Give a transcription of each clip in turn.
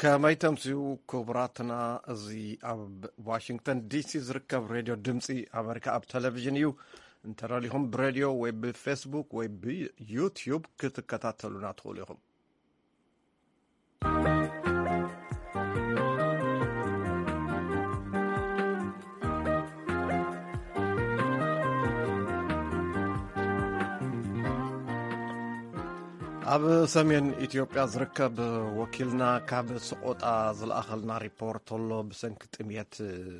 ከመይ ተምስዩ ክቡራትና፣ እዚ ኣብ ዋሽንግተን ዲሲ ዝርከብ ሬድዮ ድምፂ ኣመሪካ ኣብ ቴሌቪዥን እዩ። እንተደሊኹም ብሬድዮ ወይ ብፌስቡክ ወይ ብዩትዩብ ክትከታተሉና ትኽእሉ ኢኹም። ኣብ ሰሜን ኢትዮጵያ ዝርከብ ወኪልና ካብ ስቆጣ ዝለኣኸልና ሪፖርት ኣሎ። ብሰንኪ ጥምየት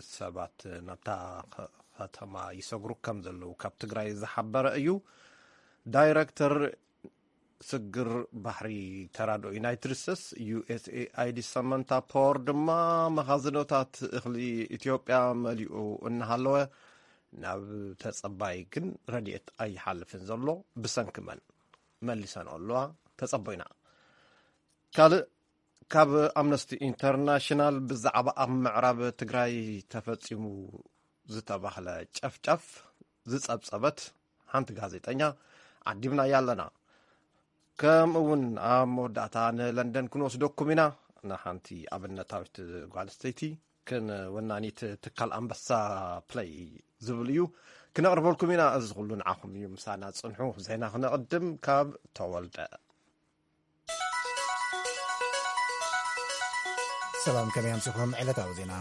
ሰባት ናብታ ከ-፣ ከተማ ይሰግሩ ከም ዘለዉ ካብ ትግራይ ዝሓበረ እዩ። ዳይረክተር ስግር ባሕሪ ተራድኦ ዩናይትድ ስቴትስ፣ ዩ ኤስ ኤ ኣይ ዲ፣ ሰመንታ ፖወር ድማ መኻዝኖታት እኽሊ ኢትዮጵያ መሊኡ እናሃለወ ናብ ተጸባይ ግን ረድኤት ኣይሓልፍን ዘሎ። ብሰንኪ መን? መሊሰን ኣለዋ። ተጸቦይና። ካልእ፣ ካብ ኣምነስቲ ኢንተርናሽናል ብዛዕባ ኣብ ምዕራብ ትግራይ ተፈጺሙ ዝተባህለ ጨፍጫፍ ዝጸብጸበት ሓንቲ ጋዜጠኛ ዓዲምናያ ኣለና። ከምኡ እውን ኣብ መወዳእታ ንለንደን ክንወስደኩም ኢና። ንሓንቲ ኣብነታዊት ጓል ኣንስተይቲ ክንወናኒት ትካል ኣንበሳ ፕለይ ዝብል እዩ ክነቕርበልኩም ኢና። እዚ ኩሉ ንዓኹም እዩ። ምሳና ጽንሑ። ዜና ክነቕድም ካብ ተወልደ። ሰላም፣ ከመይ ኣምሲኹም? ዕለታዊ ዜና።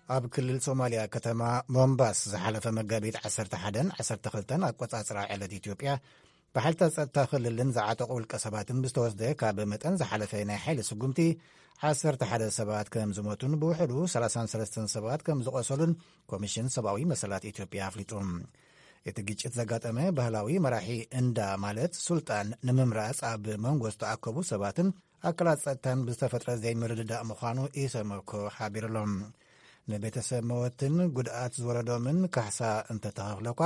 ኣብ ክልል ሶማልያ ከተማ ሞምባስ ዝሓለፈ መጋቢት ዓሰርተ ሓደን ዓሰርተ ክልተን ኣቆጻጽራ ዕለት ኢትዮጵያ ብሓይልታት ጸጥታ ክልልን ዝዓጠቑ ውልቀ ሰባትን ብዝተወስደ ካብ መጠን ዝሓለፈ ናይ ሓይሊ ስጉምቲ ዓሰርተ ሓደ ሰባት ከም ዝሞቱን ብውሕዱ ሰላሳን ሰለስተን ሰባት ከም ዝቖሰሉን ኮሚሽን ሰብኣዊ መሰላት ኢትዮጵያ ኣፍሊጡ። እቲ ግጭት ዘጋጠመ ባህላዊ መራሒ እንዳ ማለት ሱልጣን ንምምራጽ ኣብ መንጎ ዝተኣከቡ ሰባትን ኣካላት ጸጥታን ብዝተፈጥረ ዘይምርድዳእ ምዃኑ ኢሰመኮ ሓቢሩሎም። ንቤተሰብ መወትን ጉድኣት ዝወረዶምን ካሕሳ እንተተኸፍለኳ፣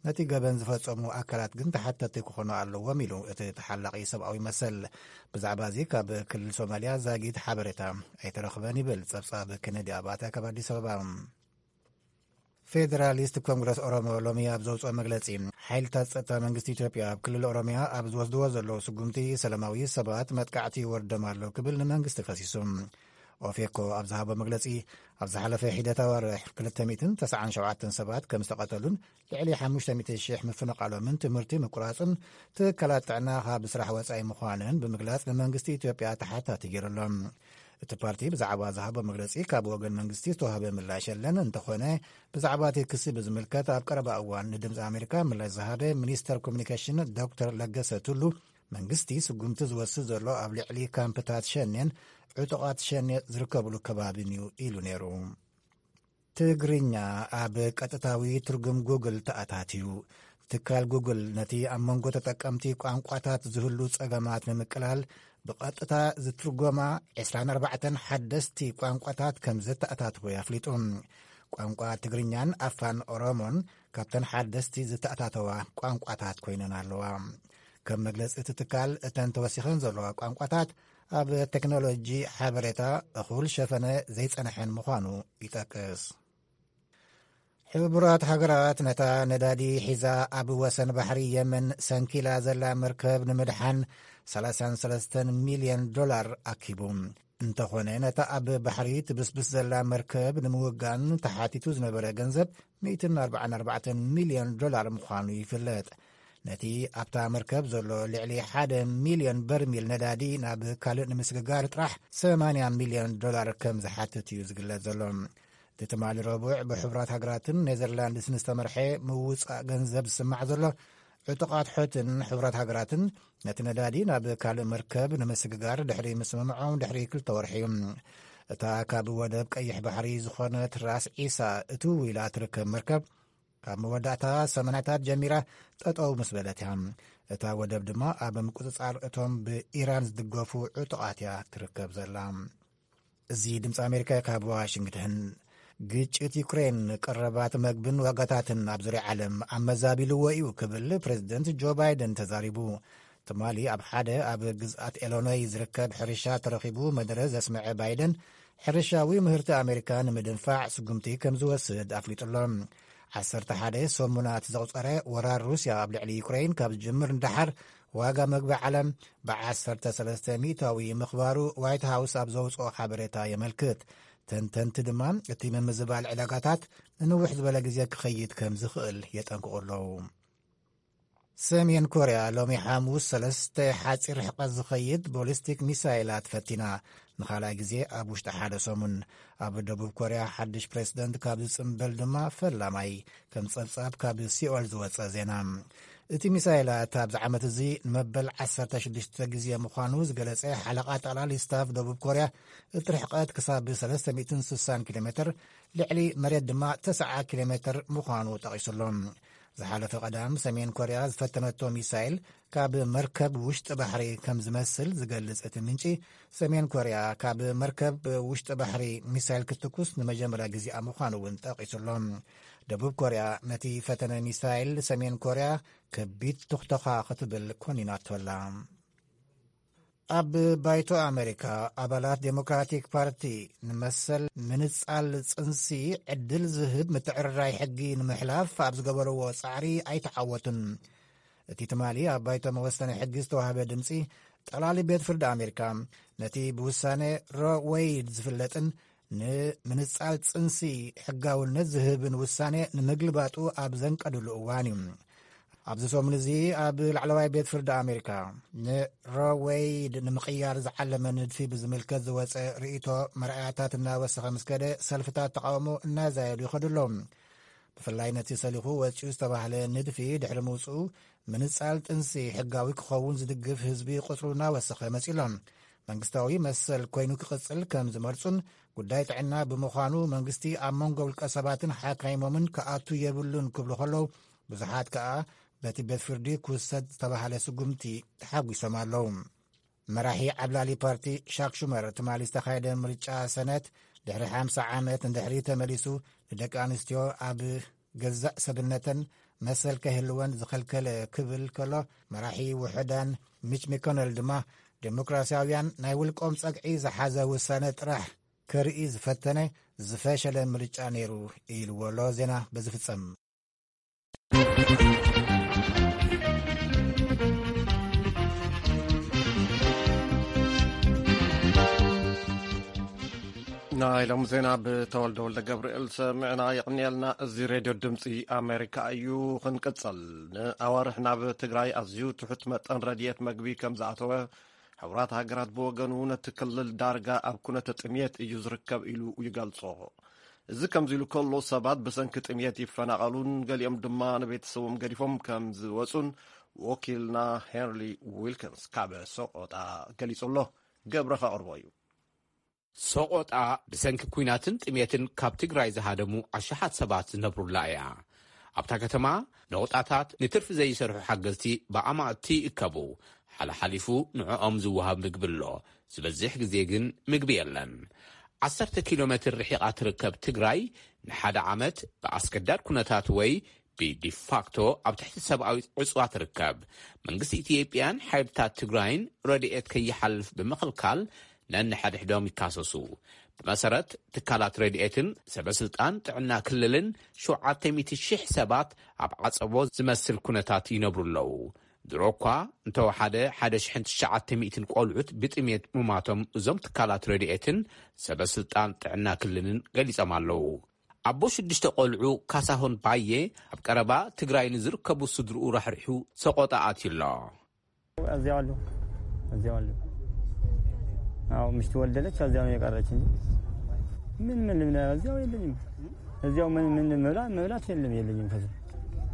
ነቲ ገበን ዝፈጸሙ ኣካላት ግን ተሓተቲ ክኾኑ ኣለዎም ኢሉ እቲ ተሓላቒ ሰብኣዊ መሰል። ብዛዕባ እዚ ካብ ክልል ሶማልያ ዛጊት ሓበሬታ ኣይተረኽበን ይብል ጸብጻብ ኬነዲ ኣባተ ካብ ኣዲስ ኣበባ። ፌደራሊስት ኮንግረስ ኦሮሞ ሎሚ ኣብ ዘውፅኦ መግለፂ፣ ሓይልታት ጸጥታ መንግስቲ ኢትዮጵያ ኣብ ክልል ኦሮሚያ ኣብ ዝወስድዎ ዘለዉ ስጉምቲ ሰላማዊ ሰባት መጥቃዕቲ ይወርዶም ኣሎ ክብል ንመንግስቲ ከሲሱ። ኦፌኮ ኣብ ዝሃቦ መግለፂ፣ ኣብ ዝሓለፈ ሒደት ኣዋርሕ ክልተ ሚእትን ተስዓን ሸውዓተን ሰባት ከም ዝተቐተሉን ልዕሊ ሓሙሽተ ሚእቲ ሽሕ ምፍንቓሎምን ትምህርቲ ምቁራፅን ትካላት ጥዕና ካብ ስራሕ ወፃኢ ምዃንን ብምግላፅ ንመንግስቲ ኢትዮጵያ ተሓታቲ ገይሩ ኣሎ። እቲ ፓርቲ ብዛዕባ ዝሃቦ መግለፂ ካብ ወገን መንግስቲ ዝተዋህበ ምላሽ የለን። እንተኾነ ብዛዕባ እቲ ክሲ ብዝምልከት ኣብ ቀረባ እዋን ንድምፂ ኣሜሪካ ምላሽ ዝሃበ ሚኒስተር ኮሚኒኬሽን ዶክተር ለገሰ ቱሉ መንግስቲ ስጉምቲ ዝወስድ ዘሎ ኣብ ልዕሊ ካምፕታት ሸኔን ዕጡቓት ሸኔ ዝርከብሉ ከባቢን እዩ ኢሉ ነይሩ። ትግርኛ ኣብ ቀጥታዊ ትርጉም ጉግል ተኣታትዩ። ትካል ጉግል ነቲ ኣብ መንጎ ተጠቀምቲ ቋንቋታት ዝህሉ ጸገማት ንምቅላል ብቐጥታ ዝትርጎማ ዕስራን ኣርባዕተን ሓደስቲ ቋንቋታት ከም ዘተኣታትወ ኣፍሊጡ። ቋንቋ ትግርኛን ኣፋን ኦሮሞን ካብተን ሓደስቲ ዝተኣታተዋ ቋንቋታት ኮይነን ኣለዋ። ከም መግለጺ እቲ ትካል፣ እተን ተወሲኸን ዘለዋ ቋንቋታት ኣብ ቴክኖሎጂ ሓበሬታ እኹል ሸፈነ ዘይጸንሐን ምዃኑ ይጠቅስ። ሕቡራት ሃገራት ነታ ነዳዲ ሒዛ ኣብ ወሰን ባሕሪ የመን ሰንኪላ ዘላ መርከብ ንምድሓን ሰላሳን ሰለስተን ሚልዮን ዶላር ኣኪቡ። እንተኾነ፣ ነታ ኣብ ባሕሪ ትብስብስ ዘላ መርከብ ንምውጋን ተሓቲቱ ዝነበረ ገንዘብ ሚእትን ኣርባዓን ኣርባዕተን ሚልዮን ዶላር ምዃኑ ይፍለጥ። ነቲ ኣብታ መርከብ ዘሎ ልዕሊ ሓደ ሚልዮን በርሚል ነዳዲ ናብ ካልእ ንምስግጋር ጥራሕ ሰማንያ ሚልዮን ዶላር ከም ዝሓትት እዩ ዝግለጽ ዘሎ። እቲ ትማሊ ረቡዕ ብሕቡራት ሃገራትን ኔዘርላንድስን ዝተመርሐ ምውጻእ ገንዘብ ዝስማዕ ዘሎ፣ ዕጡቓት ሑትን ሕቡራት ሃገራትን ነቲ ነዳዲ ናብ ካልእ መርከብ ንምስግጋር ድሕሪ ምስምምዖም ድሕሪ ክልተ ወርሒ እዩ። እታ ካብ ወደብ ቀይሕ ባሕሪ ዝኾነት ራስ ዒሳ እትው ኢላ ትርከብ መርከብ፣ ካብ መወዳእታ ሰማንያታት ጀሚራ ጠጠው ምስ በለት እያ። እታ ወደብ ድማ ኣብ ምቁጽጻር እቶም ብኢራን ዝድገፉ ዕጡቓት እያ ትርከብ ዘላ። እዚ ድምፂ ኣሜሪካ ካብ ዋሽንግተን። ግጭት ዩክሬን ቀረባት መግብን ዋጋታትን ኣብ ዙርያ ዓለም ኣመዛቢልዎ እዩ ክብል ፕሬዚደንት ጆ ባይደን ተዛሪቡ። ትማሊ ኣብ ሓደ ኣብ ግዝኣት ኤሎኖይ ዝርከብ ሕርሻ ተረኺቡ መደረ ዘስመዐ ባይደን፣ ሕርሻዊ ምህርቲ ኣሜሪካ ንምድንፋዕ ስጉምቲ ከም ዝወስድ ኣፍሊጡ ኣሎ። ዓሰርተ ሓደ ሰሙናት ዘቑጸረ ወራር ሩስያ ኣብ ልዕሊ ዩክሬን ካብ ዝጅምር ንደሓር፣ ዋጋ መግቢ ዓለም ብ13% ምኽባሩ ዋይት ሃውስ ኣብ ዘውፅኦ ሓበሬታ የመልክት። ተንተንቲ ድማ እቲ ምምዝባል ዕዳጋታት ንንውሕ ዝበለ ግዜ ክኸይድ ከም ዝኽእል የጠንቅቑ ኣለዉ። ሰሜን ኮርያ ሎሚ ሓሙስ ሰለስተ ሓፂር ርሕቀት ዝኸይድ ቦሊስቲክ ሚሳይላት ፈቲና፣ ንኻልኣይ ግዜ ኣብ ውሽጢ ሓደ ሰሙን። ኣብ ደቡብ ኮርያ ሓድሽ ፕሬዝደንት ካብ ዝጽምበል ድማ ፈላማይ፣ ከም ጸብጻብ ካብ ሲኦል ዝወጸ ዜና። እቲ ሚሳይላት ኣብዚ ዓመት እዚ ንመበል ዓሰርተ ሽዱሽተ ግዜ ምዃኑ ዝገለጸ ሓለቓ ጠቕላሊ ስታፍ ደቡብ ኮርያ፣ እቲ ርሕቀት ክሳብ ሰለስተ ሚእትን ስሳን ኪሎ ሜትር፣ ልዕሊ መሬት ድማ ተስዓ ኪሎ ሜትር ምዃኑ ጠቒሱሎ። ዝሓለፈ ቀዳም ሰሜን ኮርያ ዝፈተነቶ ሚሳይል ካብ መርከብ ውሽጢ ባሕሪ ከም ዝመስል ዝገልጽ እቲ ምንጪ፣ ሰሜን ኮርያ ካብ መርከብ ውሽጢ ባሕሪ ሚሳይል ክትኩስ ንመጀመርያ ግዜኣ ምዃኑ እውን ጠቒሱሎ። ደቡብ ኮርያ ነቲ ፈተነ ሚሳይል ሰሜን ኮርያ ከቢድ ቱኽተኻ ክትብል ኮኒናቶ ኣላ። ኣብ ባይቶ ኣሜሪካ፣ ኣባላት ዴሞክራቲክ ፓርቲ ንመሰል ምንጻል ጽንሲ ዕድል ዝህብ ምትዕርራይ ሕጊ ንምሕላፍ ኣብ ዝገበርዎ ጻዕሪ ኣይተዓወቱን። እቲ ትማሊ ኣብ ባይቶ መወሰኒ ሕጊ ዝተዋህበ ድምጺ፣ ጠቕላሊ ቤት ፍርዲ ኣሜሪካ ነቲ ብውሳነ ሮ ወይድ ዝፍለጥን ንምንጻል ጽንሲ ሕጋውነት ዝህብን ውሳኔ ንምግልባጡ ኣብ ዘንቀድሉ እዋን እዩ። ኣብዚ ሰሙን እዚ ኣብ ላዕለዋይ ቤት ፍርዲ ኣሜሪካ ንሮ ወይድ ንምቕያር ዝዓለመ ንድፊ ብዝምልከት ዝወጸ ርእይቶ መርኣያታት እናወሰኸ ምስ ከደ፣ ሰልፍታት ተቃውሞ እናዛየዱ ይኸዱ ኣለዉ። ብፍላይ ነቲ ሰሊኹ ወጺኡ ዝተባህለ ንድፊ ድሕሪ ምውጽኡ፣ ምንጻል ጥንሲ ሕጋዊ ክኸውን ዝድግፍ ህዝቢ ቁጽሩ እናወሰኸ መጺኡ ኣሎ። መንግስታዊ መሰል ኮይኑ ክቕጽል ከም ዝመርጹን፣ ጉዳይ ጥዕና ብምዃኑ መንግስቲ ኣብ መንጎ ውልቀ ሰባትን ሓካይሞምን ክኣቱ የብሉን ክብሉ ከለዉ፣ ብዙሓት ከኣ በቲ ቤት ፍርዲ ክውሰድ ዝተባህለ ስጉምቲ ተሓጒሶም ኣለዉ። መራሒ ዓብላሊ ፓርቲ ሻክ ሹመር፣ ትማሊ ዝተኻየደ ምርጫ ሰነት ድሕሪ ሓምሳ ዓመት ንድሕሪ ተመሊሱ፣ ንደቂ ኣንስትዮ ኣብ ገዛእ ሰብነተን መሰል ከይህልወን ዝኸልከለ ክብል ከሎ፣ መራሒ ውሑዳን ሚች ሚኮነል ድማ፣ ዴሞክራሲያውያን ናይ ውልቆም ጸግዒ ዝሓዘ ውሳነ ጥራሕ ከርኢ ዝፈተነ ዝፈሸለ ምርጫ ነይሩ ኢልዎ ኣሎ። ዜና በዚ ፍጸም። ናይ ሎሚ ዜና ብተወልደ ወልደ ገብርኤል ሰሚዕና። የቕንየልና። እዚ ሬድዮ ድምፂ ኣሜሪካ እዩ። ክንቅፅል፣ ንኣዋርሕ ናብ ትግራይ ኣዝዩ ትሑት መጠን ረድኤት መግቢ ከም ዝኣተወ፣ ሕቡራት ሃገራት ብወገኑ ነቲ ክልል ዳርጋ ኣብ ኩነተ ጥምየት እዩ ዝርከብ ኢሉ ይገልጾ። እዚ ከምዚ ኢሉ ከሎ፣ ሰባት ብሰንኪ ጥምየት ይፈናቐሉን ገሊኦም ድማ ንቤተሰቦም ገዲፎም ከም ዝወጹን ወኪልና ሄንሪ ዊልኪንስ ካብ ሰቆጣ ገሊጹ ኣሎ። ገብረ ከቕርቦ እዩ። ሰቆጣ ብሰንኪ ኲናትን ጥሜትን ካብ ትግራይ ዝሃደሙ ኣሽሓት ሰባት ዝነብሩላ እያ። ኣብታ ከተማ ነቑጣታት ንትርፊ ዘይሰርሑ ሓገዝቲ ብኣማእቲ ይእከቡ። ሓለሓሊፉ ንዕኦም ዝወሃብ ምግቢ ኣሎ። ዝበዝሕ ግዜ ግን ምግቢ የለን። ዓሰርተ ኪሎ ሜትር ርሒቓ ትርከብ ትግራይ ንሓደ ዓመት ብኣስገዳድ ኩነታት ወይ ብዲፋክቶ ኣብ ትሕቲ ሰብኣዊ ዕጽዋ ትርከብ። መንግስቲ ኢትዮጵያን ሓይልታት ትግራይን ረድኤት ከይሓልፍ ብምኽልካል ነንሕድሕዶም ይካሰሱ። ብመሰረት ትካላት ረድኤትን ሰበስልጣን ጥዕና ክልልን፣ ሸውዓተ ሚእቲ ሺሕ ሰባት ኣብ ዓጸቦ ዝመስል ኩነታት ይነብሩ ኣለዉ። ድሮ እኳ እንተወሓደ ሓደ ሽሕን ትሽዓተ ሚእትን ቆልዑት ብጥሜት ምማቶም እዞም ትካላት ረድኤትን ሰበስልጣን ጥዕና ክልልን ገሊጾም ኣለዉ። ኣቦ ሽዱሽተ ቆልዑ ካሳሁን ባየ ኣብ ቀረባ ትግራይ ንዝርከቡ ስድርኡ ራሕሪሑ ሰቆጣ ኣትዩ ኣሎ። እዚያው አሉ፣ እዚያው አሉ። አዎ፣ ምሽት ወለደች፣ እዚያው ነው የቀረች እንጂ ምን፣ ምን፣ ምን፣ እዚያው የለኝም። እዚያው ምን፣ ምን መብላት፣ መብላት የለም፣ የለኝም። ከዚ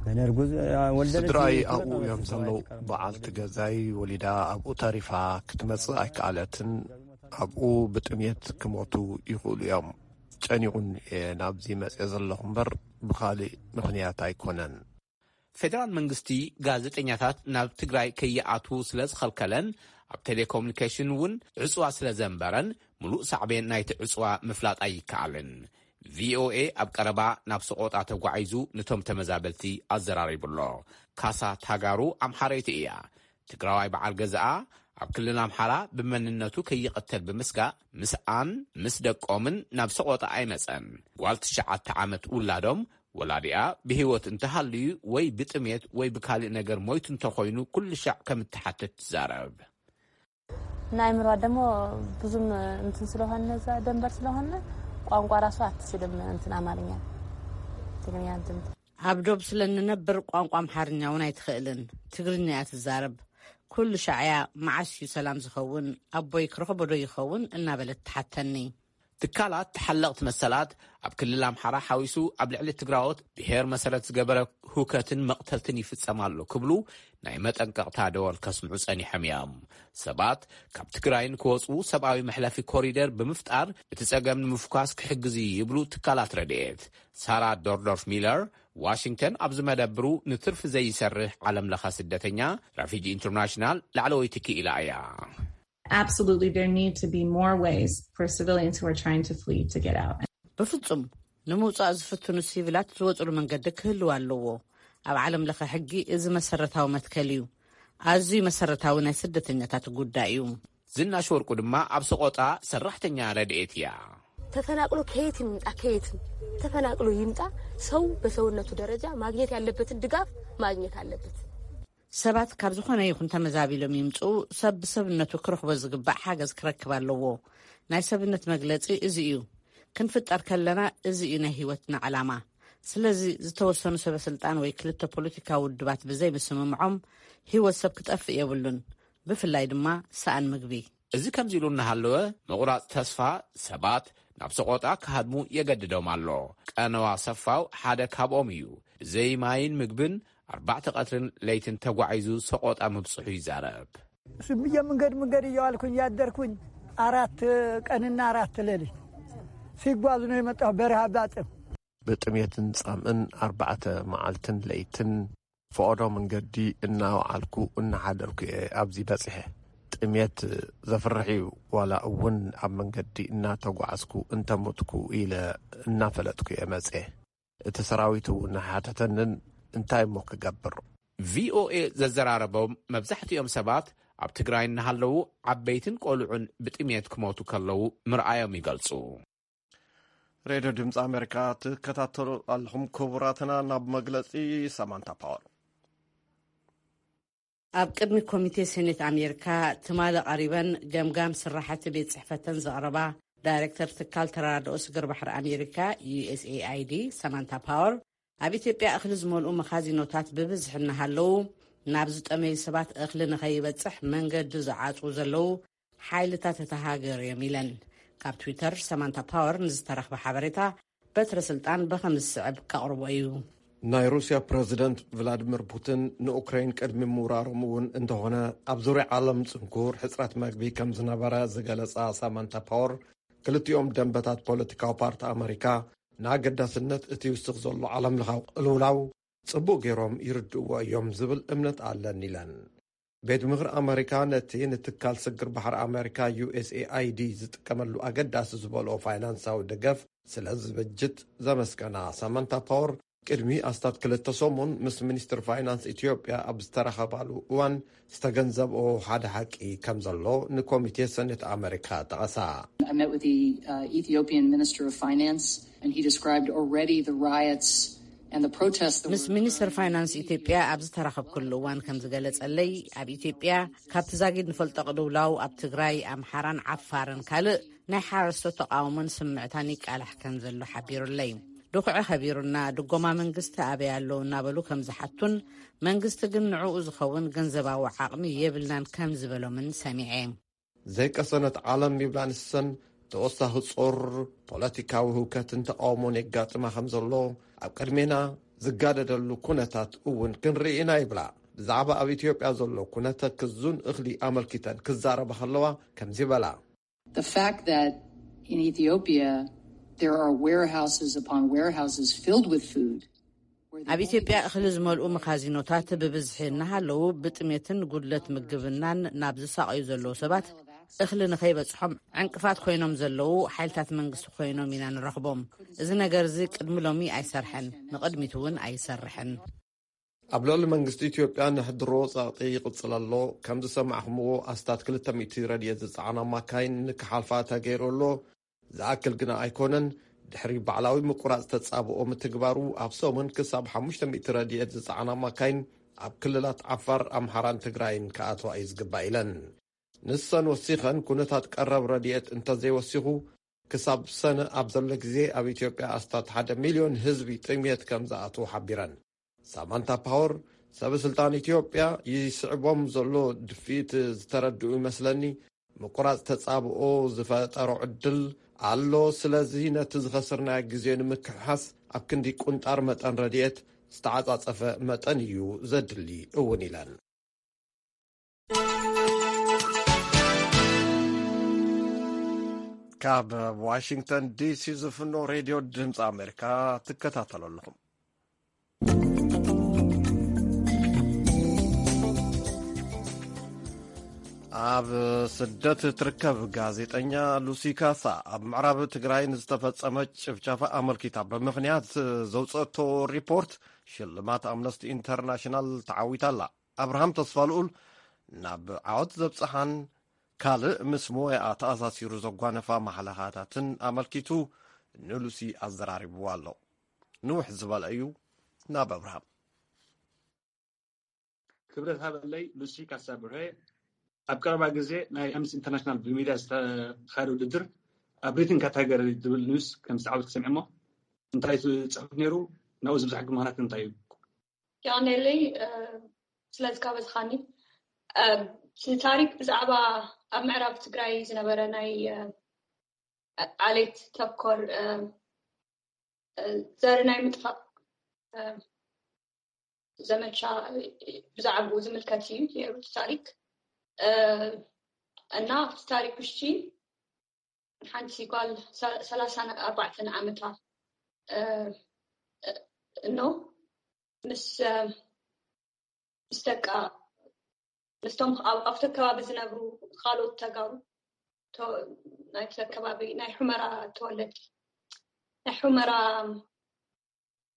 ገና እርጉዝ፣ አ፣ ወለደች፣ ስድራይ ትመጣ ኣብኡ ነበር፣ እዮም ስድራይ ዘለዉ። ትቀርብ በዓልቲ ነበር። ገዛይ ወሊዳ ኣብኡ ተሪፋ ክትመጽእ ኣይከኣለትን። ኣብኡ ብጥሜት ክሞቱ ይኽእሉ እዮም። ጨኒቑን እየ ናብዚ መጽየ ዘለኹ እምበር ብኻልእ ምኽንያት ኣይኮነን። ፌደራል መንግስቲ ጋዜጠኛታት ናብ ትግራይ ከይኣትዉ ስለ ዝኸልከለን ኣብ ቴሌኮሙኒኬሽን እውን ዕጽዋ ስለ ዘንበረን ምሉእ ሳዕቤን ናይቲ ዕጽዋ ምፍላጥ ኣይከኣልን። ቪኦኤ ኣብ ቀረባ ናብ ሰቆጣ ተጓዒዙ ነቶም ተመዛበልቲ ኣዘራሪቡ ኣሎ። ካሳ ታጋሩ ኣምሓረይቲ እያ። ትግራዋይ በዓል ገዛኣ ኣብ ክልል ኣምሓራ ብመንነቱ ከይቐተል ብምስጋእ ምስኣን ምስ ደቆምን ናብ ሰቆጣ ኣይመጸን። ጓል ትሽዓተ ዓመት ውላዶም ወላዲኣ ብህይወት እንተሃልዩ ወይ ብጥሜት ወይ ብካልእ ነገር ሞይቱ እንተኾይኑ ኩሉ ሻዕ ከም እትሓትት ትዛረብ። ንኣእምሮኣ ደሞ ብዙም እንትን ስለሆነ እዛ ደንበር ስለሆነ ቋንቋ ራሱ ኣትችልም እንትን ኣማርኛ ትግርኛ እንትን ኣብ ዶብ ስለ እንነብር ቋንቋ ኣምሓርኛ እውን ኣይትኽእልን። ትግርኛ እያ ትዛረብ። ኩሉ ሻዕያ መዓስ እዩ ሰላም ዝኸውን፣ ኣቦይ ክረኽቦ ዶ ይኸውን እናበለት ትሓተኒ። ትካላት ተሓለቕቲ መሰላት ኣብ ክልል ኣምሓራ ሓዊሱ ኣብ ልዕሊ ትግራዎት ብሄር መሰረት ዝገበረ ሁከትን መቕተልትን ይፍጸም ኣሎ ክብሉ ናይ መጠንቀቕታ ደወል ከስምዑ ጸኒሖም እዮም። ሰባት ካብ ትግራይ ንክወፁ ሰብኣዊ መሕለፊ ኮሪደር ብምፍጣር እቲ ጸገም ንምፍኳስ ክሕግዝ እዩ ይብሉ ትካላት ረድኤት። ሳራ ዶርዶርፍ ሚለር ዋሽንግተን ኣብ ዝመደብሩ ንትርፊ ዘይሰርሕ ዓለም ለኸ ስደተኛ ራፊጂ ኢንተርናሽናል ላዕለወይቲ ክኢላ እያ። Absolutely, there need to be more ways for civilians who are trying to flee to get out. ብፍጹም ንምውጻእ ዝፍትኑ ሲቪላት ዝወጽሉ መንገዲ ክህልው ኣለዎ። ኣብ ዓለም ለኸ ሕጊ እዚ መሰረታዊ መትከል እዩ። ኣዝዩ መሰረታዊ ናይ ስደተኛታት ጉዳይ እዩ። ዝናሽ ወርቁ ድማ ኣብ ሰቆጣ ሰራሕተኛ ረድኤት እያ። ተፈናቅሎ ከየት ይምጣ ከየት ተፈናቅሎ ይምጣ ሰው በሰውነቱ ደረጃ ማግኘት ያለበትን ድጋፍ ማግኘት አለበት። ሰባት ካብ ዝኾነ ይኹን ተመዛቢሎም ይምጽኡ፣ ሰብ ብሰብነቱ ክረኽቦ ዝግባእ ሓገዝ ክረክብ ኣለዎ። ናይ ሰብነት መግለጺ እዚ እዩ። ክንፍጠር ከለና እዚ እዩ ናይ ህይወትና ዕላማ። ስለዚ ዝተወሰኑ ሰበ ስልጣን ወይ ክልተ ፖለቲካዊ ውድባት ብዘይ ምስምምዖም ህይወት ሰብ ክጠፍእ የብሉን፣ ብፍላይ ድማ ሰኣን ምግቢ። እዚ ከምዚ ኢሉ እናሃለወ ምቑራጽ ተስፋ ሰባት ናብ ሰቆጣ ክሃድሙ የገድዶም ኣሎ። ቀነዋ ሰፋው ሓደ ካብኦም እዩ። ብዘይ ማይን ምግብን ኣርባዕተ ቀትርን ለይትን ተጓዒዙ ሰቆጣ ምብጽሑ ይዛረብ። ስብየ መንገድ መንገድ እየዋልኩኝ ያደርኩኝ። አራት ቀንና አራት ሌሊት ሲጓዝ ነው የመጣሁ በረሃ ባጥም። ብጥሜትን ጻምእን ኣርባዕተ መዓልትን ለይትን ፈቐዶ መንገዲ እናወዓልኩ እናሓደርኩ እየ ኣብዚ በጺሐ። ጥሜት ዘፍርሕ እዩ። ዋላ እውን ኣብ መንገዲ እናተጓዓዝኩ እንተሞትኩ ኢለ እናፈለጥኩ እየ መጽየ። እቲ ሰራዊት እውን ሓተተንን እንታይ እሞ ክገብር። ቪኦኤ ዘዘራረቦም መብዛሕትኦም ሰባት ኣብ ትግራይ እናሃለዉ ዓበይትን ቆልዑን ብጥሜት ክሞቱ ከለዉ ምርኣዮም ይገልጹ። ሬድዮ ድምፂ ኣሜሪካ ትከታተሉ ኣለኹም ክቡራትና። ናብ መግለፂ ሳማንታ ፓወር። ኣብ ቅድሚ ኮሚቴ ሴኔት ኣሜሪካ ትማሊ ቀሪበን ገምጋም ስራሕቲ ቤት ጽሕፈተን ዘቕረባ ዳይሬክተር ትካል ተራድኦ ስግር ባሕሪ ኣሜሪካ ዩኤስኤኣይዲ ሳማንታ ፓወር፣ ኣብ ኢትዮጵያ እኽሊ ዝመልኡ መኻዚኖታት ብብዝሒ እናሃለዉ ናብ ዝጠመዩ ሰባት እኽሊ ንኸይበጽሕ መንገዲ ዝዓጽዉ ዘለዉ ሓይልታት እታ ሃገር እዮም ኢለን። ካብ ትዊተር ሳማንታ ፓወር ንዝተረኽበ ሓበሬታ በትረ ስልጣን ብኸም ዝስዕብ ከቕርቦ እዩ። ናይ ሩስያ ፕረዚደንት ቭላድሚር ፑቲን ንኡክራይን ቅድሚ ምውራሮም እውን እንተኾነ ኣብ ዙርያ ዓለም ጽንኩር ሕጽረት መግቢ ከም ዝነበረ ዝገለጻ ሳማንታ ፓወር፣ ክልቲኦም ደንበታት ፖለቲካዊ ፓርቲ ኣመሪካ ንኣገዳስነት እቲ ይውስኽ ዘሎ ዓለም ለኻዊ ቅልውላው ጽቡቕ ገይሮም ይርድእዎ እዮም ዝብል እምነት ኣለኒ ኢለን። ቤት ምኽሪ ኣመሪካ ነቲ ንትካል ስግር ባሕሪ ኣመሪካ ዩኤስኤኣይዲ ዝጥቀመሉ ኣገዳሲ ዝበልኦ ፋይናንሳዊ ደገፍ ስለ ዝብጅት ዘመስገና ሳማንታ ፓወር፣ ቅድሚ ኣስታት ክልተ ሰሙን ምስ ሚኒስትር ፋይናንስ ኢትዮጵያ ኣብ ዝተራኸባሉ እዋን ዝተገንዘብኦ ሓደ ሓቂ ከም ዘሎ ንኮሚቴ ሰኔት ኣመሪካ ጠቐሳ። I met with the uh, Ethiopian Minister of Finance and he described already the riots and the protests that ምስ were ሚኒስትር ፋይናንስ ኢትዮጵያ ኣብ ዝተራኸብኩሉ እዋን ከም ዝገለጸለይ፣ ኣብ ኢትዮጵያ ካብቲ ዛጊድ ንፈልጦ ቅልውላው ኣብ ትግራይ፣ ኣምሓራን ዓፋርን ካልእ ናይ ሓረስቶት ተቃውሞን ስምዕታን ይቃላሕ ከም ዘሎ ሓቢሩለይ። ድኹዒ ከቢሩና፣ ድጎማ መንግስቲ ኣበይ ኣሎ እናበሉ ከም ዝሓቱን መንግስቲ ግን ንዕኡ ዝኸውን ገንዘባዊ ዓቕሚ የብልናን ከም ዝበሎምን ሰሚዐ። ዘይቀሰነት ዓለም ይብላ ንሰን፣ ተወሳኺ ጾር፣ ፖለቲካዊ ህውከትን ተቓውሞን የጋጥማ ከም ዘሎ፣ ኣብ ቅድሜና ዝጋደደሉ ኩነታት እውን ክንርኢ ኢና ይብላ። ብዛዕባ ኣብ ኢትዮጵያ ዘሎ ኩነተ ክዙን እኽሊ ኣመልኪተን ክዛረባ ከለዋ ከምዚ በላ። The fact that in Ethiopia there are warehouses upon warehouses filled with food. ኣብ ኢትዮጵያ እኽሊ ዝመልኡ መኻዚኖታት ብብዝሒ እናሃለዉ ብጥሜትን ጉድለት ምግብናን ናብ ዝሳቐዩ ዘለዉ ሰባት እኽሊ ንኸይበጽሖም ዕንቅፋት ኮይኖም ዘለዉ ሓይልታት መንግስቲ ኮይኖም ኢና ንረኽቦም። እዚ ነገር እዚ ቅድሚ ሎሚ ኣይሰርሐን፣ ንቕድሚት እውን ኣይሰርሕን። ኣብ ልዕሊ መንግስቲ ኢትዮጵያ ንሕድሮ ጸቕጢ ይቕጽል ኣሎ። ከም ዝሰማዕኹምዎ ኣስታት ክልተ ሚእቲ ረድኤት ዝጸዓና ማካይን ንክሓልፋ ተገይሩ ኣሎ። ዝኣክል ግና ኣይኮነን። ድሕሪ ባዕላዊ ምቁራጽ ተጻብኦ ምትግባሩ፣ ኣብ ሰሙን ክሳብ ሓሙሽተ ሚእቲ ረድኤት ዝጸዓና ማካይን ኣብ ክልላት ዓፋር፣ ኣምሓራን ትግራይን ክኣትዋ እዩ ዝግባእ ኢለን። ንሰን ወሲኸን፣ ኩነታት ቀረብ ረድኤት እንተዘይወሲኹ፣ ክሳብ ሰነ ኣብ ዘሎ ግዜ ኣብ ኢትዮጵያ ኣስታት ሓደ ሚልዮን ህዝቢ ጥምየት ከም ዝኣትዉ ሓቢረን። ሳማንታ ፓወር፣ ሰበ ስልጣን ኢትዮጵያ ይስዕቦም ዘሎ ድፍኢት ዝተረድኡ ይመስለኒ። ምቁራጽ ተጻብኦ ዝፈጠሮ ዕድል ኣሎ። ስለዚ ነቲ ዝኸስርናዮ ግዜ ንምክሕሓስ ኣብ ክንዲ ቁንጣር መጠን ረድኤት ዝተዓጻጸፈ መጠን እዩ ዘድሊ እውን ኢለን። ካብ ዋሽንግተን ዲሲ ዝፍኖ ሬድዮ ድምፂ ኣሜሪካ ትከታተሉ ኣለኹም። ኣብ ስደት እትርከብ ጋዜጠኛ ሉሲ ካሳ፣ ኣብ ምዕራብ ትግራይ ንዝተፈጸመ ጭፍጨፋ ኣመልኪታ ብምኽንያት ዘውፀእቶ ሪፖርት ሽልማት ኣምነስቲ ኢንተርናሽናል ተዓዊታ ኣላ። ኣብርሃም ተስፋልኡል ናብ ዓወት ዘብጽሓን ካልእ ምስ ሞያኣ ተኣሳሲሩ ዘጓነፋ ማሕለኻታትን ኣመልኪቱ ንሉሲ ኣዘራሪብዋ ኣሎ። ንውሕ ዝበለ እዩ። ናብ ኣብርሃም። ክብረት ሃበለይ። ሉሲ ካሳ ብርሄ ኣብ ቀረባ ግዜ ናይ ኣምነስቲ ኢንተርናሽናል ብሚድያ ዝተኻየደ ውድድር ኣብ ሪትን ካታጎሪ ዝብል ኒውስ ከም ዝተዓወት ክሰምዐ እሞ፣ እንታይ እቲ ጽሑፍ ነይሩ? ናብኡ ዝብዛሕ ምኽንያት እንታይ እዩ? የቐንየለይ፣ እ፣ ስለ ዝጋበዝኻኒ። እ፣ እቲ ታሪክ ብዛዕባ ኣብ ምዕራብ ትግራይ ዝነበረ ናይ፣ እ፣ ዓሌት ተኮር፣ እ፣ እ፣ ዘር ናይ ምጥፋእ፣ እ፣ ዘመቻ፣ እ፣ ብዛዕባኡ ዝምልከት እዩ ነይሩ እቲ ታሪክ። እ፣ እና ኣብቲ ታሪክ ውሽጢ ሓንቲ ጓል ሰ-፣ ሰላሳን ኣርባዕተን ዓመታ፣ እ፣ እ፣ እኖ ምስ፣ እ፣ ምስ ደቃ፣ ምስቶም ኣብ፣ ኣብቲ ከባቢ ዝነብሩ ካልኦት ተጋሩ፣ ተ-፣ ናይቲ ከባቢ ናይ ሑመራ ተወለድቲ፣ ናይ ሑመራ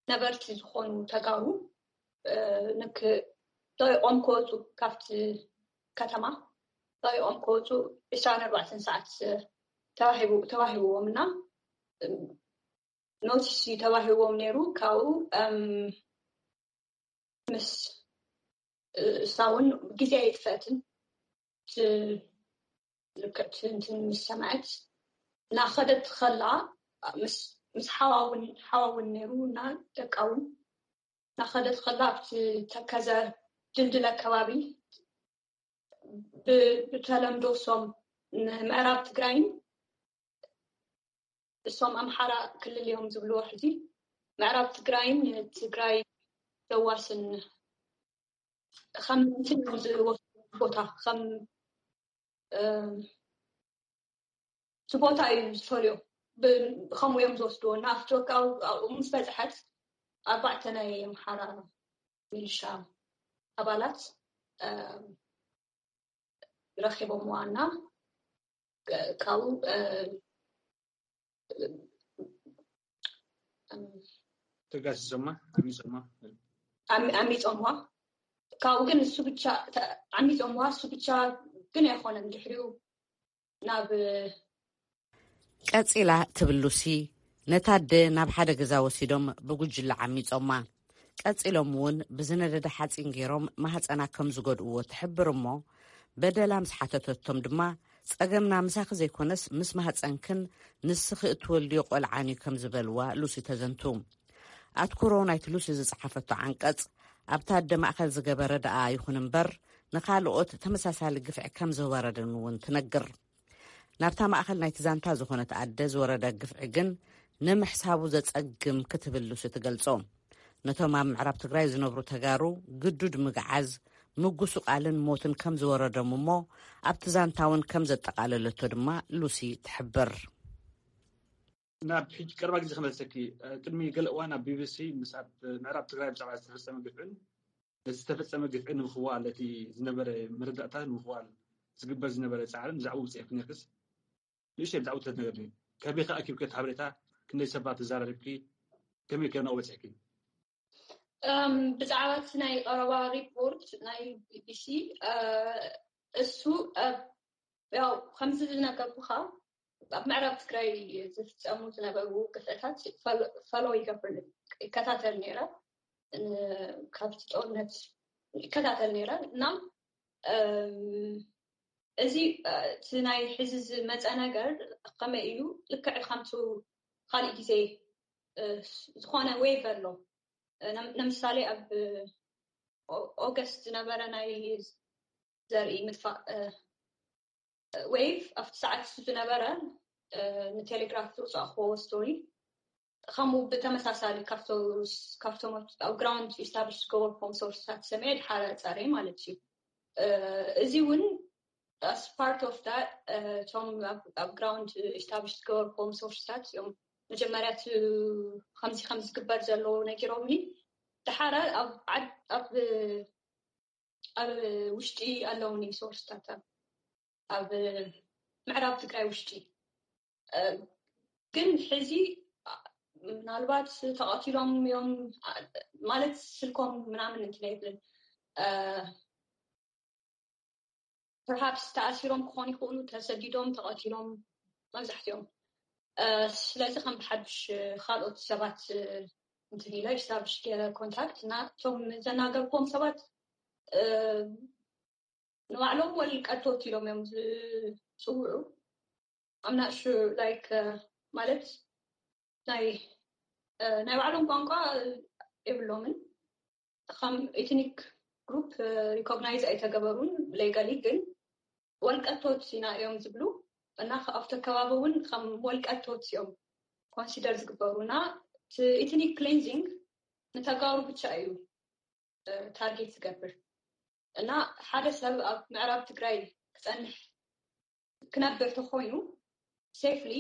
ነበርቲ ዝኾኑ ተጋሩ፣ እ፣ ንክ-፣ ጠቂቖም ክወፁ፣ ካብቲ ከተማ ጠቂቖም ክወፁ ዕስራን ኣርባዕተን ሰዓት ተዋሂቡ-፣ ተዋሂብዎም እና፣ እ፣ ኖቲስ እዩ ተዋሂብዎም ነይሩ። ካብኡ፣ እም፣ ምስ፣ እ፣ እሳ እውን ግዜ ኣይጥፈእትን። ት-፣ ልክዕ እቲ እንትን ምስ ሰምዐት፣ እናኸደት ከላ፣ ምስ፣ ምስ ሓዋ እውን፣ ሓዋ እውን ነይሩ እና ደቃ እውን እናኸደት ከላ፣ ኣብቲ ተከዘ ድልድል ኣከባቢ፣ ብ-፣ ብተለምዶ እሶም ንምዕራብ ትግራይን እሶም ኣምሓራ ክልል እዮም ዝብልዎ ሕጂ፣ ምዕራብ ትግራይን ትግራይ ዘዋስን ከም እንትን እዮም ዝወስዱ ቦታ፣ ከም፣ እ፣ እቲ ቦታ እዩ ዝፈልዮ። ብ-፣ ከምኡ እዮም ዝወስድዎ። እና ኣብቲ ወቃ-፣ ኣብኡ ምስ በፅሐት፣ ኣርባዕተ ናይ ኣምሓራ ሚሊሻ ኣባላት፣ እ፣ ረኺቦምዋ እና፣ እ፣ ካብኡ፣ እ፣ እ፣ ተጋሲሶማ፣ ዓሚጾማ። ዓሚ-፣ ዓሚጾምዋ። ካብኡ ግን እሱ ብቻ ተ-፣ ዓሚጾምዋ፣ እሱ ብቻ ግን ኣይኮነን። ድሕሪኡ ናብ ቀጺላ ትብል ሉሲ፣ ነታ ኣደ ናብ ሓደ ገዛ ወሲዶም ብጉጅለ ዓሚጾማ። ቀጺሎም እውን ብዝነደደ ሓጺን ገይሮም ማህጸና ከም ዝጎድእዎ ትሕብር እሞ፣ በደላ ምስ ሓተተቶም ድማ፣ "ጸገምና ምሳኺ ዘይኮነስ ምስ ማህጸንክን ንስኺ እትወልድዮ ቆልዓን እዩ" ከም ዝበልዋ ሉሲ ተዘንቱ። ኣትኩሮ ናይቲ ሉሲ ዝጸሓፈቶ ዓንቀጽ፣ ኣብታ ኣደ ማእከል ዝገበረ ደኣ ይኹን እምበር፣ ንኻልኦት ተመሳሳሊ ግፍዒ ከም ዝወረደን እውን ትነግር። ናብታ ማእከል ናይቲ ዛንታ ዝኾነት ኣደ ዝወረደ ግፍዒ ግን ንምሕሳቡ ዘጸግም ክትብል ሉሲ ትገልጾ። ነቶም ኣብ ምዕራብ ትግራይ ዝነብሩ ተጋሩ ግዱድ ምግዓዝ፣ ምጉስቃልን ሞትን ከም ዝወረዶም እሞ ኣብቲ ዛንታ እውን ከም ዘጠቓለለቶ ድማ ሉሲ ትሕብር። ናብ ሕጂ ቀረባ ግዜ ክመልሰኪ፣ እ፣ ቅድሚ ገለ እዋን ኣብ ቢቢሲ ምስ ኣብ ምዕራብ ትግራይ ብዛዕባ ዝተፈጸመ ግፍዕን ነቲ ዝተፈጸመ ግፍዒ ንምኽዋል፣ ነቲ ዝነበረ መረዳእታ ንምኽዋል ዝግበር ዝነበረ ጻዕርን ብዛዕባኡ ብጽሑፍ ነርክስ ንእሽተይ ብዛዕባኡ ተትነግርኒ። ከመይ ከ ኣኪብኪ እቲ ሓበሬታ? ክንደይ ሰባት ተዘራሪብኪ? ከመይ ከ ናብኡ በጺሕኪ? እም፣ ብዛዕባ እቲ ናይ ቀረባ ሪፖርት ናይ ቢቢሲ፣ እ፣ እሱ፣ እ፣ ያው ከምዚ ዝነገርኩኻ፣ ኣብ ምዕራብ ትግራይ ዝፍፀሙ ዝነበሩ ግፍዕታት ፈሎ ይገብር ይከታተል ነይረ። ካብቲ ጦርነት ይከታተል ነይረ እና እዚ እቲ ናይ ሕዚ ዝመፀ ነገር ከመይ እዩ? ልክዕ ከምቱ ካልእ ግዜ ዝኾነ ዌቭ ኣሎ። ንምሳሌ ኣብ ኦገስት ዝነበረ ናይ ዘርኢ ምጥፋእ ዌቭ ኣብቲ ሰዓት ዝነበረ ንቴሌግራፍ ዝውፃእክዎ ስቶሪ ከምኡ ብተመሳሳሊ ካብቶም ኣብ ግራውንድ ኢስታብሊሽ ዝገበርኩም ሶርስታት ሰሚዐ ድሓረ ፀረ ማለት እዩ። እዚ እውን ኣስ ፓርት ኦፍ ዳት እቶም ኣብ ግራውንድ ኢስታብሊሽ ዝገበርኩም ሶርስታት እዮም መጀመርያ ከምዚ ከም ዝግበር ዘለዎ ነጊሮምኒ። ድሓረ ኣብ ውሽጢ ኣለውኒ ሶርስታት ኣብ ምዕራብ ትግራይ ውሽጢ ግን ሕዚ ምናልባት ተቐቲሎም እዮም ማለት ስልኮም ምናምን እንትን ኣይብልን። ፐርሃፕስ ተኣሲሮም ክኾኑ ይኽእሉ፣ ተሰዲዶም፣ ተቐቲሎም መብዛሕትኦም። ስለዚ ከም ብሓድሽ ካልኦት ሰባት እንትን ኢለ ኢስታብሊሽ ገይረ ኮንታክት እና እቶም ዘናገርክዎም ሰባት ንባዕሎም ወልቀቶት ኢሎም እዮም ዝፅውዑ። I'm not sure like ማለት ናይ ናይ ባዕሎም ቋንቋ የብሎምን። ከም ኤትኒክ ግሩፕ ሪኮግናይዝ ኣይተገበሩን ሌጋሊ፣ ግን ወልቀቶት ኢና እዮም ዝብሉ እና ኣብቲ ከባቢ እውን ከም ወልቀቶት እዮም ኮንሲደር ዝግበሩ እና ኤትኒክ ክሌንዚንግ ንተጋሩ ብቻ እዩ ታርጌት ዝገብር እና ሓደ ሰብ ኣብ ምዕራብ ትግራይ ክፀንሕ ክነብር ተኮይኑ ሴፍሊ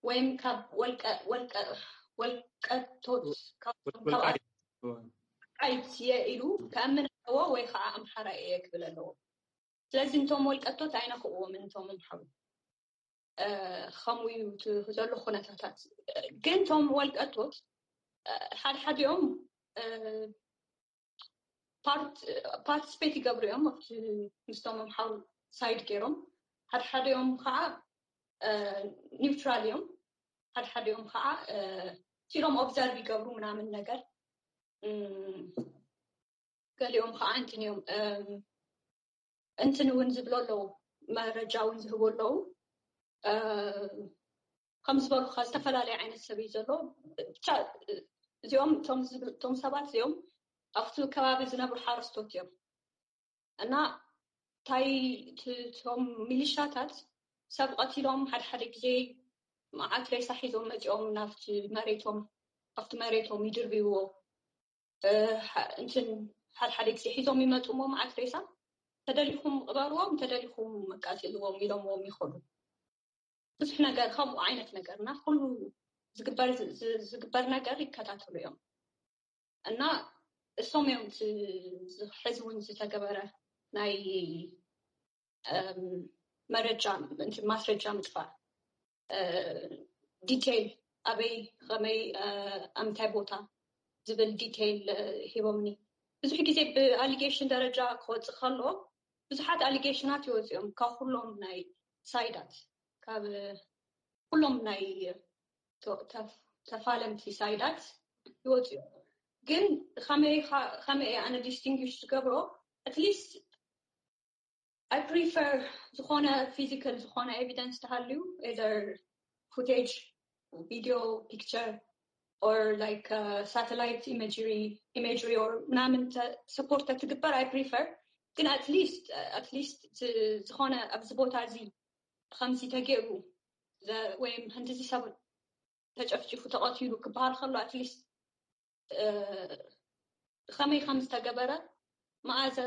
ወይም ካብ ወልቀቶት ወልቃይት እየ ኢሉ ከእምን ኣለዎ ወይ ከዓ ኣምሓራ እየ ክብል ኣለዎ። ስለዚ እንቶም ወልቀቶት ኣይነኽእዎም እንቶም ኣምሓሩ ከምኡ እዩ ዘሎ ኩነታታት። ግን እቶም ወልቀቶት ሓደ ሓዲኦም ፓርቲስፔት ይገብሩ እዮም ኣብቲ ምስቶም ኣምሓሩ ሳይድ ገይሮም ሓደ ሓዲኦም ከዓ ኒውትራል እዮም። ሓደ ሓዲኦም ከዓ ሲሎም ኦብዘርቭ ይገብሩ ምናምን ነገር ገሊኦም ከዓ እንትን እዮም እንትን እውን ዝብሎ ኣለዉ፣ መረጃ እውን ዝህቡ ኣለዉ። ከም ዝበሉካ ዝተፈላለየ ዓይነት ሰብ እዩ ዘሎ። ብቻ እዚኦም እቶም ሰባት እዚኦም ኣብቲ ከባቢ ዝነብሩ ሓረስቶት እዮም እና ታይ እቶም ሚሊሻታት ሰብ ቀቲሎም ሓደ ሓደ ግዜ መዓት ሬሳ ሒዞም መፂኦም ናብቲ መሬቶም ኣብቲ መሬቶም ይድርብይዎ። እንትን ሓደ ሓደ ግዜ ሒዞም ይመፁ እሞ መዓት ሬሳ ተደሊኹም ቅበርዎም ተደሊኹም መቃፅልዎም ኢሎምዎም ይኸዱ። ብዙሕ ነገር ከምኡ ዓይነት ነገር እና ኩሉ ዝግበር ዝግበር ነገር ይከታተሉ እዮም እና እሶም እዮም ሕዚ እውን ዝተገበረ ናይ መረጃ ማስረጃ ምጥፋእ ዲቴይል ኣበይ ከመይ ኣምንታይ ቦታ ዝብል ዲቴይል ሂቦምኒ። ብዙሕ ግዜ ብኣሊጌሽን ደረጃ ክወፅእ ከለዎ ብዙሓት ኣሊጌሽናት ይወፅኦም ካብ ኩሎም ናይ ሳይዳት ካብ ኩሎም ናይ ተፋለምቲ ሳይዳት ይወፅኡ። ግን ከመይ ኣነ ዲስቲንግሽ ዝገብሮ ኣትሊስት ኣይ ፕሪፈር ዝኾነ ፊዚካል ዝኾነ ኤቪደንስ ተሃልዩ ኤዘር ፉቴጅ ቪዲዮ ፒክቸር ኦር ላይክ ሳተላይት ኢሜጅሪ ኢሜጅሪ ኦር ምናምን ሰፖርት ትግበር ኣይ ፕሪፈር ግን ኣትሊስት ኣትሊስት ዝኾነ ኣብዚ ቦታ እዚ ከምዚ ተገይሩ ወይም ህንድዚ ሰብ ተጨፍጭፉ ተቐቲሉ ክበሃል ከሎ ኣትሊስት ከመይ ከም ዝተገበረ መኣዘ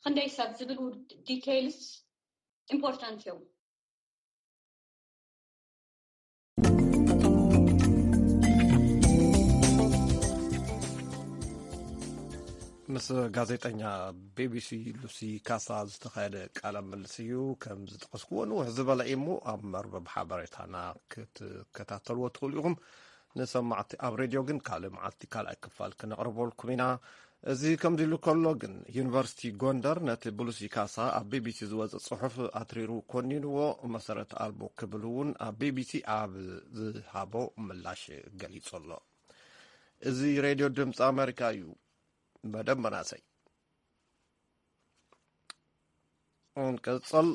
ክንደይ ሰብ ዝብሉ ዲቴይልስ ኢምፖርታንት እዮም። ምስ ጋዜጠኛ ቢቢሲ ሉሲ ካሳ ዝተኻየደ ቃለ ምልልስ እዩ። ከም ዝጠቐስክዎ ንውሕ ዝበለ እዩ እሞ ኣብ መርበብ ሓበሬታና ክትከታተልዎ ትኽእሉ ኢኹም። ንሰማዕቲ ኣብ ሬድዮ ግን ካልእ መዓልቲ ካልኣይ ክፋል ክነቕርበልኩም ኢና። እዚ ከምዚ ኢሉ ከሎ ግን፣ ዩኒቨርሲቲ ጎንደር ነቲ ብሉሲ ካሳ ኣብ ቢቢሲ ዝወጸ ጽሑፍ ኣትሪሩ ኮኒንዎ፣ መሰረት ኣልቦ ክብል እውን ኣብ ቢቢሲ ኣብ ዝሃቦ ምላሽ ገሊጹ ኣሎ። እዚ ሬድዮ ድምፂ ኣሜሪካ እዩ። መደብ መናእሰይ እንቀጽል።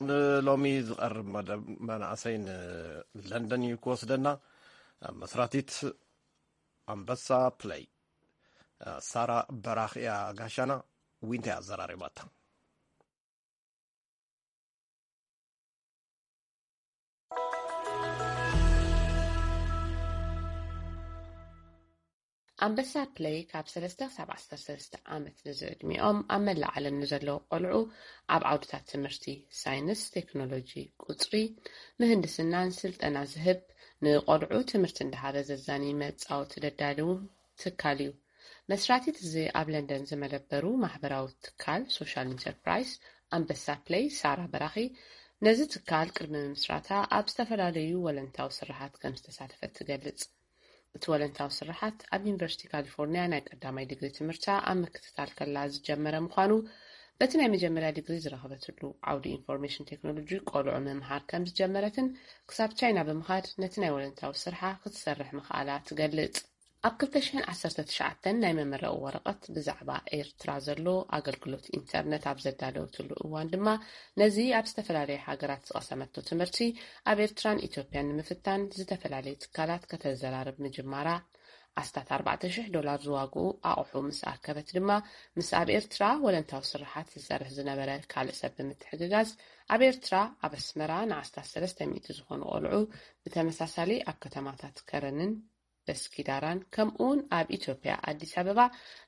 ንሎሚ ዝቐርብ መደብ መናእሰይ ንለንደን እዩ ክወስደና። መስራቲት ኣንበሳ ፕለይ ሳራ በራኽ እያ ጋሻና። ዊንታ እያ ኣዘራሪባታ። ኣንበሳ ፕለይ ካብ ሰለስተ ክሳብ ዓሰርተ ሰለስተ ዓመት ንዝዕድሚኦም ኣብ መላእ ዓለም ንዘለዉ ቆልዑ ኣብ ዓውድታት ትምህርቲ ሳይንስ፣ ቴክኖሎጂ፣ ቁጽሪ፣ ምህንድስናን ስልጠና ዝህብ፣ ንቆልዑ ትምህርቲ እንዳሃበ ዘዛኒ መጻወቲ ደዳልው ትካል እዩ። መስራቲት እዚ ኣብ ለንደን ዝመደበሩ ማሕበራዊ ትካል ሶሻል ኢንተርፕራይስ ኣንበሳ ፕለይ ሳራ በራኺ ነዚ ትካል ቅድሚ ምምስራታ ኣብ ዝተፈላለዩ ወለንታዊ ስራሓት ከም ዝተሳተፈት ትገልጽ። እቲ ወለንታዊ ስራሓት ኣብ ዩኒቨርሲቲ ካሊፎርኒያ ናይ ቀዳማይ ዲግሪ ትምህርታ ኣብ ምክትታል ከላ ዝጀመረ ምዃኑ፣ በቲ ናይ መጀመርያ ዲግሪ ዝረኸበትሉ ዓውዲ ኢንፎርሜሽን ቴክኖሎጂ ቆልዑ ምምሃር ከም ዝጀመረትን ክሳብ ቻይና ብምኻድ ነቲ ናይ ወለንታዊ ስርሓ ክትሰርሕ ምኽኣላ ትገልጽ። ኣብ ክልተ ሽሕን ዓሰርተ ትሽዓተን ናይ መመረቒ ወረቐት ብዛዕባ ኤርትራ ዘሎ ኣገልግሎት ኢንተርነት ኣብ ዘዳለወትሉ እዋን ድማ፣ ነዚ ኣብ ዝተፈላለየ ሃገራት ዝቐሰመቶ ትምህርቲ ኣብ ኤርትራን ኢትዮጵያን ንምፍታን ዝተፈላለየ ትካላት ከተዘራርብ ምጅማራ፣ ኣስታት ኣርባዕተ ሽሕ ዶላር ዝዋግኡ ኣቑሑ ምስ ኣከበት ድማ፣ ምስ ኣብ ኤርትራ ወለንታዊ ስራሓት ዝሰርሕ ዝነበረ ካልእ ሰብ ብምትሕግጋዝ፣ ኣብ ኤርትራ ኣብ ኣስመራ ንኣስታት ሰለስተ ሚእቲ ዝኾኑ ቆልዑ ብተመሳሳሊ ኣብ ከተማታት ከረንን በስኪዳራን፣ ከምኡውን ኣብ ኢትዮጵያ ኣዲስ ኣበባ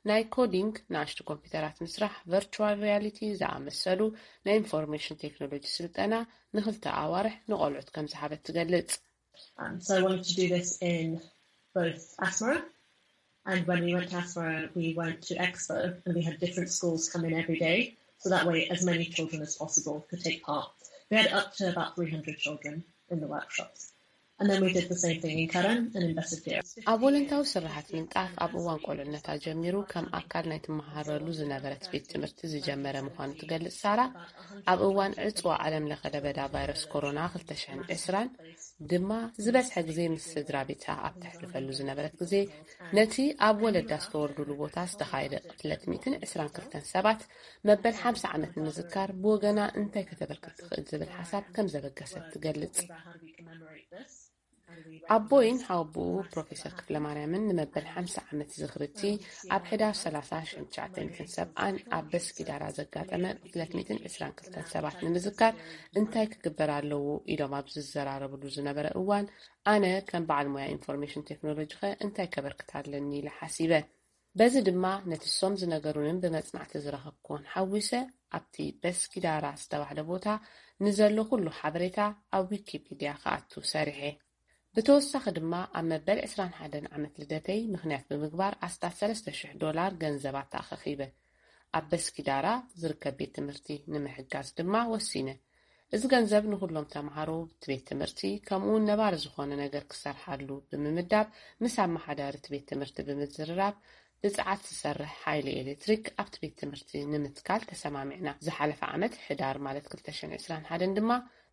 ናይ ኮዲንግ ንኣሽቱ ኮምፒውተራት ምስራሕ፣ ቨርቹዋል ሪያሊቲ ዝኣመሰሉ ናይ ኢንፎርሜሽን ቴክኖሎጂ ስልጠና ንኽልተ ኣዋርሕ ንቆልዑት ከም ዝሃበት ትገልጽ። Um, so I wanted to do this in both Asmara, and when we went to Asmara, we went to Expo, and we had different schools come in every day, so that way as many children as possible could take part. We had up to about three hundred children in the workshops. And then we did the same thing in Karen and in Bessegeir. ኣብ ወለንታዊ ስራሓት ምንጣፍ ኣብ እዋን ቆልዕነታ ጀሚሩ ከም ኣካል ናይ ትመሃረሉ ዝነበረት ቤት ትምህርቲ ዝጀመረ ምዃኑ ትገልጽ ሳራ፣ ኣብ እዋን ዕጽዋ ዓለም ለኸ ለበዳ ቫይረስ ኮሮና ክልተ ሽሕን ዕስራን ድማ ዝበዝሐ ግዜ ምስ ስድራ ቤታ ኣብ ተሕልፈሉ ዝነበረት ግዜ፣ ነቲ ኣብ ወለዳ ዝተወልዱሉ ቦታ ዝተኻየደ ቅትለት ሚእትን ዕስራን ክልተን ሰባት መበል ሓምሳ ዓመት ንምዝካር ብወገና እንታይ ከተበርክት ትኽእል ዝብል ሓሳብ ከም ዘበገሰት ትገልጽ። ኣቦይን ሓወቦኡ ፕሮፌሰር ክፍለማርያምን ንመበል ሓምሳ ዓመት ዝኽሪ እቲ ኣብ ሕዳር ሰላሳ ሽሕን ትሽዓተ ሚእትን ሰብዓን ኣብ በስኪዳራ ዘጋጠመ ቅትለት ሚእትን ዕስራን ክልተን ሰባት ንምዝካር እንታይ ክግበር ኣለዎ ኢሎም ኣብ ዝዘራረብሉ ዝነበረ እዋን፣ ኣነ ከም በዓል ሞያ ኢንፎርሜሽን ቴክኖሎጂኸ እንታይ ከበርክት ኣለኒ ኢለ ሓሲበ። በዚ ድማ ነቲ እሶም ዝነገሩንን ብመጽናዕቲ ዝረኸብክዎን ሓዊሰ ኣብቲ በስኪዳራ ዝተባህለ ቦታ ንዘሎ ኩሉ ሓበሬታ ኣብ ዊኪፒድያ ክኣቱ ሰሪሐ። ብተወሳኺ ድማ ኣብ መበል ዕስራን ሓደን ዓመት ልደተይ ምኽንያት ብምግባር ኣስታት ሰለስተ ሽሕ ዶላር ገንዘብ ኣተኣኻኺበ። ኣብ በስኪዳራ ዝርከብ ቤት ትምህርቲ ንምሕጋዝ ድማ ወሲነ። እዚ ገንዘብ ንኹሎም ተምሃሮ እቲ ቤት ትምህርቲ ከምኡውን ነባሪ ዝኾነ ነገር ክሰርሓሉ ብምምዳብ ምስ ኣመሓዳሪ እቲ ቤት ትምህርቲ ብምዝርራብ ብጸዓት ዝሰርሕ ሓይሊ ኤሌክትሪክ ኣብቲ ቤት ትምህርቲ ንምትካል ተሰማሚዕና። ዝሓለፈ ዓመት ሕዳር ማለት ክልተ ሽሕን ዕስራን ሓደን ድማ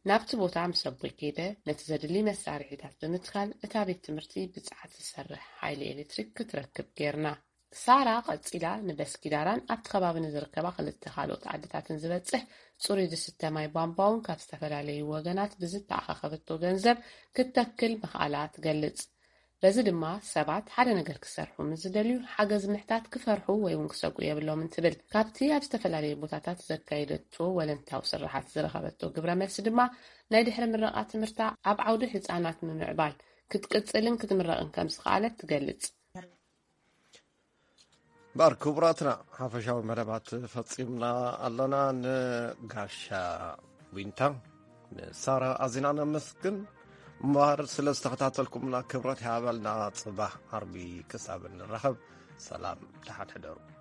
ናብቲ ቦታ ምስ ኣቦይ ከይደ ነቲ ዘድሊ መሳርሒታት ብምትካል እታ ቤት ትምህርቲ ብጸዓት ዝሰርሕ ሓይሊ ኤሌክትሪክ ክትረክብ ጌርና። ሳራ ቀጺላ ንበስኪዳራን ኣብቲ ከባቢ ንዝርከባ ክልተ ካልኦት ዓድታትን ዝበጽሕ ጽሩይ ዝስተ ማይ ቧንቧ እውን ካብ ዝተፈላለዩ ወገናት ብዝተኣኻኸበቶ ገንዘብ ክትተክል ምኽኣላ ትገልጽ። በዚ ድማ ሰባት ሓደ ነገር ክሰርሑ ምስ ዝደልዩ ሓገዝ ምሕታት ክፈርሑ ወይ እውን ክሰግኡ የብሎምን ትብል። ካብቲ ኣብ ዝተፈላለየ ቦታታት ዘካየደቶ ወለንታዊ ስርሓት ዝረኸበቶ ግብረ መልሲ ድማ ናይ ድሕሪ ምረቓ ትምህርታ ኣብ ዓውዲ ህጻናት ምምዕባል ክትቅጽልን ክትምረቕን ከም ዝኸኣለት ትገልጽ። እምበኣር ክቡራትና፣ ሓፈሻዊ መደባት ፈጺምና ኣለና። ንጋሻ ዊንታ፣ ንሳራ ኣዚና ነመስግን። እምበኣር ስለ ዝተኸታተልኩምና ክብረት ይሃበልና። ጽባሕ ዓርቢ ክሳብ እንራኸብ ሰላም፣ ደሓን ሕደሩ።